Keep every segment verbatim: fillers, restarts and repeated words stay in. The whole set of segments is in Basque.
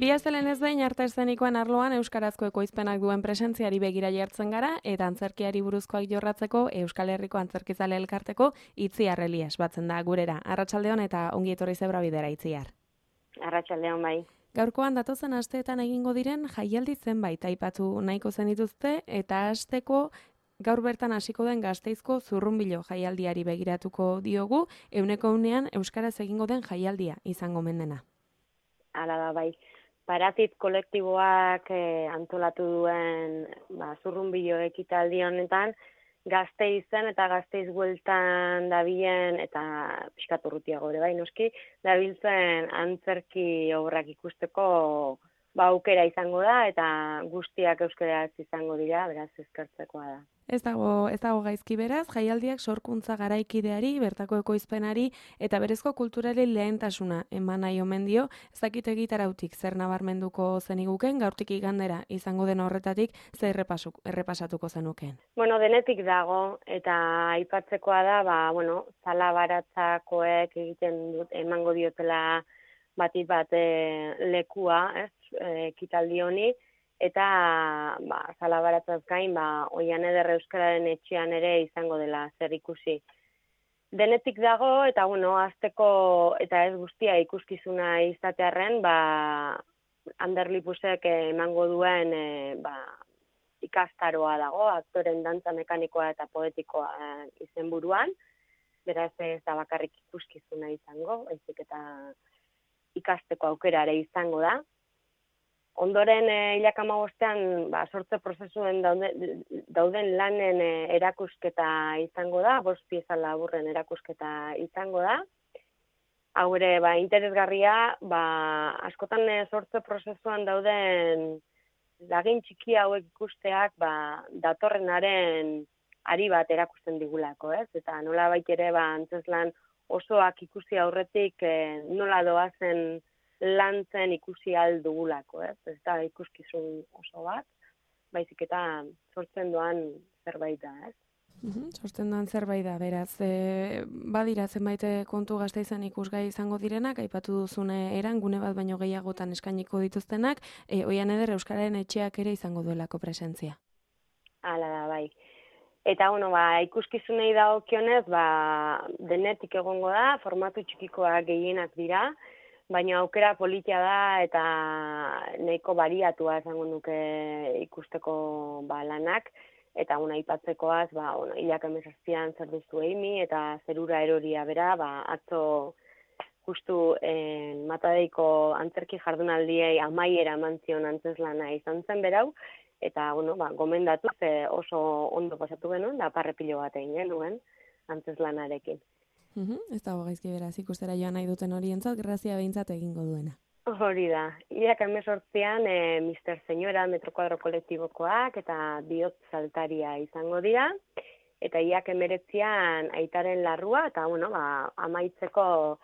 Bi astelen ez behin arte eszenikoen arloan euskarazko ekoizpenak duen presentziari begira jartzen gara eta antzerkiari buruzkoak jorratzeko Euskal Herriko Antzerkizale Elkarteko Itziar Elias batzen da gurera. Arratsaldeon eta ongi etorri Zebra Bidera, Itziar. Arratsaldeon bai. Gaurkoan datozen asteetan egingo diren jaialdi zenbait aipatu nahiko zenituzte eta hasteko gaur bertan hasiko den Gasteizko Zurrunbilo jaialdiari begiratuko diogu, euneko unean euskaraz egingo den jaialdia izango mendena. Hala da bai. Paratit kolektiboak eh, antolatu duen ba, Zurrunbilo ekitaldi honetan Gasteizen eta Gasteiz bueltan dabilen eta pixkat urrutiago ere bai noski, dabiltzen antzerki obrak ikusteko ba, aukera izango da eta guztiak euskaraz izango dira, beraz eskertzekoa da. Ez dago, ez dago gaizki beraz, jaialdiak sorkuntza garaikideari, bertako ekoizpenari eta berezko kulturari lehentasuna eman nahi omen dio, ez dakit egitarautik zer nabarmenduko zeniguken, gaurtik igandera izango den horretatik zer errepasuk, errepasatuko zenukeen. Bueno, denetik dago eta aipatzekoa da, ba, bueno, zala baratzakoek egiten dut, emango diotela batit bat e, lekua, ez, ekitaldi honi, eta ba, zalabaratzaz gain, ba, Oian Eder Euskararen etxean ere izango dela zer ikusi. Denetik dago, eta bueno, azteko eta ez guztia ikuskizuna izatearren, ba, Ander Lipusek emango duen e, ba, ikastaroa dago, aktoren dantza mekanikoa eta poetikoa izenburuan, beraz ez da bakarrik ikuskizuna izango, baizik eta ikasteko aukera ere izango da. Ondoren hilak hamabostean ba, sortze prozesuen dauden, dauden lanen e, erakusketa izango da, bost pieza laburren erakusketa izango da. Hau ere, ba, interesgarria, ba, askotan e, sortze prozesuan dauden lagin txiki hauek ikusteak ba, datorrenaren ari bat erakusten digulako, ez? Eta nola bait ere ba, antzeslan osoak ikusi aurretik e, nola doazen lantzen ikusi aldugulako, ez? Ez da ikuskizun oso bat, baizik eta sortzen doan zerbait da, ez? Uhum, sortzen doan zerbait da, beraz, e, badira zenbait kontu Gasteizen ikusgai izango direnak, aipatu duzune eran, gune bat baino gehiagotan eskainiko dituztenak, e, Oian Eder Euskararen etxeak ere izango duelako presentzia. Hala da, bai. Eta, bueno, ba, ikuskizunei dagokionez, ba, denetik egongo da, formatu txikikoak gehienak dira, baina aukera politia da eta nahiko bariatua izango nuke ikusteko ba, lanak, eta una aipatzekoaz, ba, bueno, hilak hemezortzian zer duzu Eimi eta zerura eroria bera, ba, atzo justu eh, Matadeiko antzerki jardunaldiei amaiera eman zion antzeslana izan zen berau, eta bueno, ba, gomendatu ze oso ondo pasatu genuen, da parrepilo bat egin genuen antzeslanarekin. Uhum, ez dago gaizki beraz ikustera joan nahi duten horientzat, grazia behintzat egingo duena. Hori da. Hilak hemezortzian e, mister Señora Metrokuadro kolektibokoak eta bihotz saltaria izango dira. Eta hilak hemeretzian aitaren larrua, eta bueno, ba, amaitzeko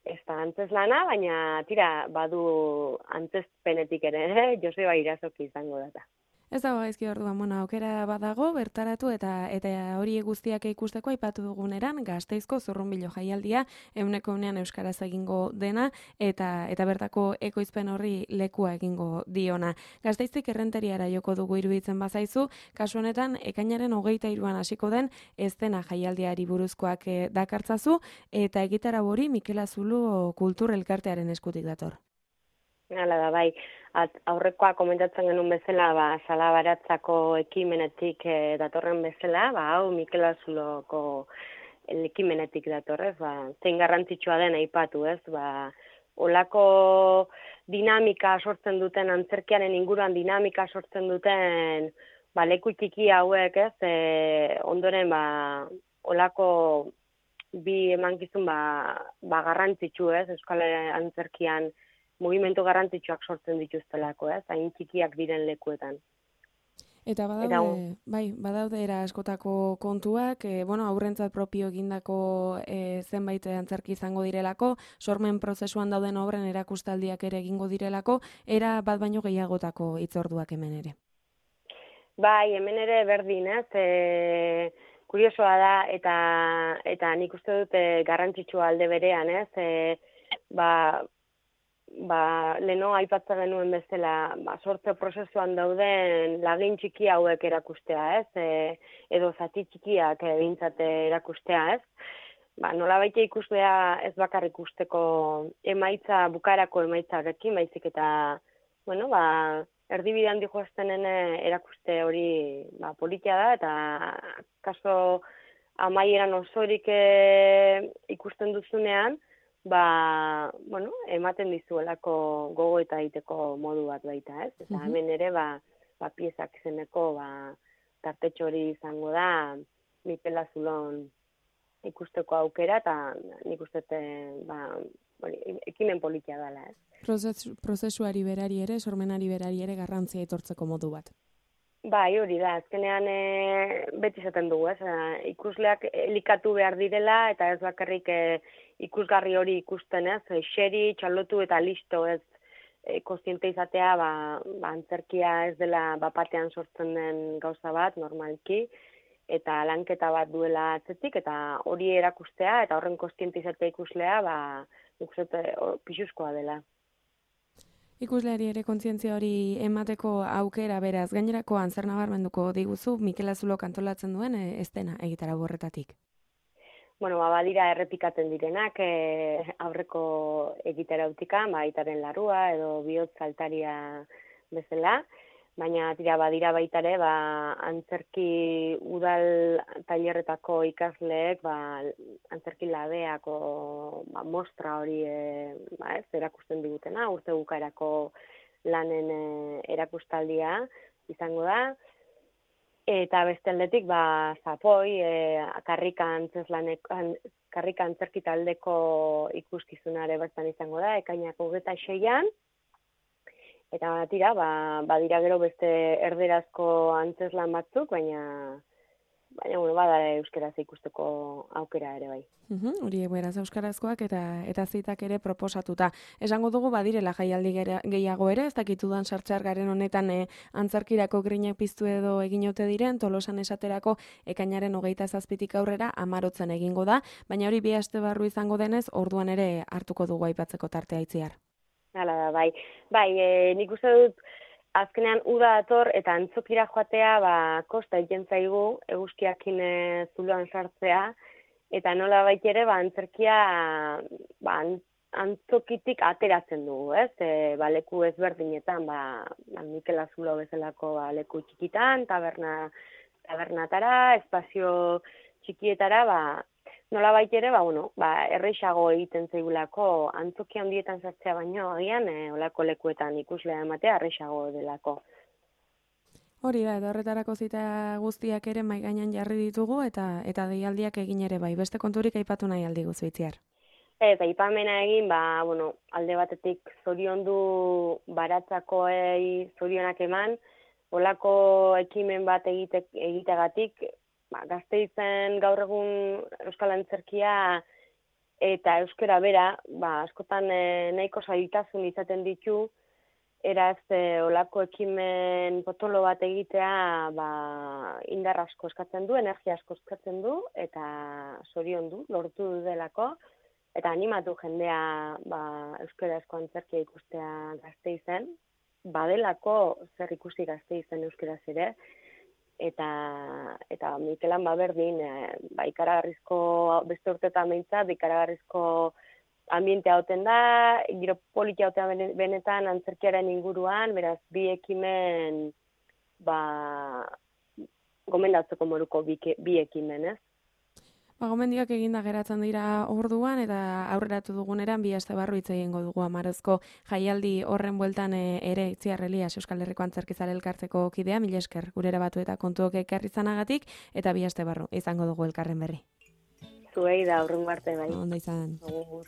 ez da antzeslana, baina tira badu antzezpenetik ere, eh? Joseba Irazoki izango data. Ez dago gaizki orduan, bueno, aukera badago, bertaratu eta eta hori guztiak ikusteko aipatu duguneran Gasteizko Zurrunbilo jaialdia euneko unean euskaraz egingo dena eta eta bertako ekoizpen horri lekua egingo diona. Gasteiztik Errenteriara joko dugu iruditzen bazaizu, kasu honetan ekainaren hogeita hiruan hasiko den estena jaialdiari buruzkoak e, dakartzazu eta egitarau hori Mikel Azulu Kultur Elkartearen eskutik dator. Hala da, bai. At, aurrekoa komentatzen genuen bezala, ba, Salabaratzako ekimenetik e, datorren bezala, ba, hau Mikel Azuloko ekimenetik datorrez, ba, zein garrantzitsua den aipatu, ez, ba, olako dinamika sortzen duten, antzerkiaren inguruan dinamika sortzen duten, ba, leku txiki hauek, ez, e, ondoren, ba, olako bi emankizun, ba, ba, garrantzitsu, ez, Euskal Antzerkian, mugimendu garrantzitsuak sortzen dituztelako, ez, hain txikiak diren lekuetan. Eta badaude, Eta, bai, badaude era askotako kontuak, e, bueno, aurrentzat propio egindako e, zenbait antzerki izango direlako, sormen prozesuan dauden obren erakustaldiak ere egingo direlako, era bat baino gehiagotako hitzorduak hemen ere. Bai, hemen ere berdin, ez, e, kuriosoa da, eta eta nik uste dut e, garrantzitsua alde berean, ez, e, ba, ba, leno aipatza genuen bezala, ba, sortze prozesuan dauden lagin txiki hauek erakustea, ez? E, edo zati txikiak bintzate erakustea, ez? Ba, nola baita ikuslea ez bakar ikusteko emaitza, bukarako emaitzarekin, baizik eta, bueno, ba, erdibidean dihoaztenen erakuste hori ba, politia da, eta kaso amaieran osorik e, ikusten duzunean, ba, bueno, ematen dizuelako gogo eta egiteko modu bat baita, ez? Eta hemen ere, ba, ba piezak zeneko, ba, tartetxo hori izango da, Mikel Azulon ikusteko aukera, eta nik ustete, ba, hori, ekimen politia dela, ez? Prozesu, prozesuari berari ere, sormenari berari ere garrantzia etortzeko modu bat. Bai, hori da, azkenean e, beti izaten dugu, ez? Ikusleak elikatu behar direla, eta ez bakarrik e, ikusgarri hori ikusten, ez? Xeri, txalotu eta listo, ez? E, kontziente izatea, ba, ba, antzerkia ez dela bapatean sortzen den gauza bat, normalki, eta lanketa bat duela atzetik, eta hori erakustea, eta horren kontziente izatea ikuslea, ba, ikuste pixuzkoa dela. Ikusleari ere kontzientzia hori emateko aukera beraz, gainerakoan zer nabarmenduko diguzu Mikel Azulok antolatzen duen e, estena egitara borretatik? Bueno, ba, badira errepikatzen direnak e, aurreko egitarautika, ba, aitaren larrua edo bihotz altaria bezala, baina tira badira baitare, ba, antzerki udal tailerretako ikasleek, ba, antzerki labeako ba, mostra hori e, ba, ez, erakusten digutena, urte bukaerako lanen e, erakustaldia izango da. Eta beste aldetik, ba, zapoi, e, karrika antzerki taldeko ikuskizunare bertan izango da, ekainak hogeita seian. Eta tira, ba, badira gero beste erderazko antzeslan batzuk, baina, baina bueno, bada euskeraz ikusteko aukera ere bai. Uhum, hori beraz euskarazkoak eta eta zitak ere proposatuta. Esango dugu badirela jaialdi gehiago ere, ez dakitudan sartxar garen honetan e, antzerkirako grinak piztu edo eginote diren, Tolosan esaterako ekainaren hogeita zazpitik aurrera amarotzen egingo da, baina hori bi aste barru izango denez, orduan ere hartuko dugu aipatzeko tartea itziar. Hala da, bai. Bai, e, nik uste dut azkenean uda dator eta antzokira joatea, ba, kosta egiten zaigu eguzkiakin e, zuloan sartzea, eta nola bait ere, ba, antzerkia ba, antzokitik ateratzen dugu, ez? E, ba, leku ezberdinetan, ba, ba, Mikel Azulo bezalako ba, leku txikitan, taberna, tabernatara, espazio txikietara, ba, nola bait ere, ba, bueno, ba, erreixago egiten zaigulako antzoki handietan sartzea baino, agian, e, olako lekuetan ikuslea ematea erreixago delako. Hori da, eta horretarako zita guztiak ere mai gainean jarri ditugu, eta eta deialdiak egin ere bai. Beste konturik aipatu nahi aldi guzu itziar. Eta aipamena egin, ba, bueno, alde batetik zoriondu baratzakoei zorionak eman, olako ekimen bat egite, egitegatik, ba, Gasteizen gaur egun euskal antzerkia eta euskera bera, ba, askotan e, nahiko zailtasun izaten ditu, eraz e, olako ekimen potolo bat egitea ba, indar asko eskatzen du, energia asko eskatzen du, eta zorion du, lortu delako, eta animatu jendea ba, euskarazko antzerkia ikustea Gasteizen, badelako zer ikusi Gasteizen euskaraz ere, eta eta Mikelan ba berdin, e, ba ikaragarrizko beste urtetan behintzat, ikaragarrizko ambientea hauten da, giro politia hautean benetan antzerkiaren inguruan, beraz bi ekimen ba gomendatzeko moruko bi, bi ekimen, ez? Ba, gomendiak eginda geratzen dira orduan, eta aurreratu duguneran bi aste barru hitz egingo dugu Amarozko jaialdi horren bueltan e, ere Itziar Elias Euskal Herriko Antzerkizale elkartzeko kidea, mila esker gurera batu eta kontuok ekarri izanagatik, eta bi aste barru izango dugu elkarren berri. Zuei da aurrengo arte bai. Ondo izan. Agur.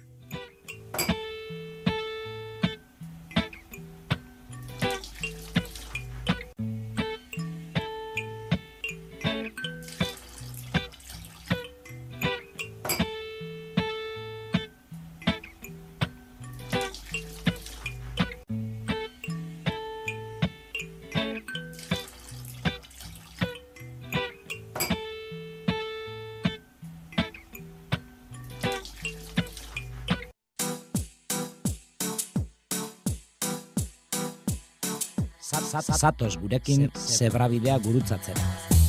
Zatoz gurekin zebrabidea gurutzatzera.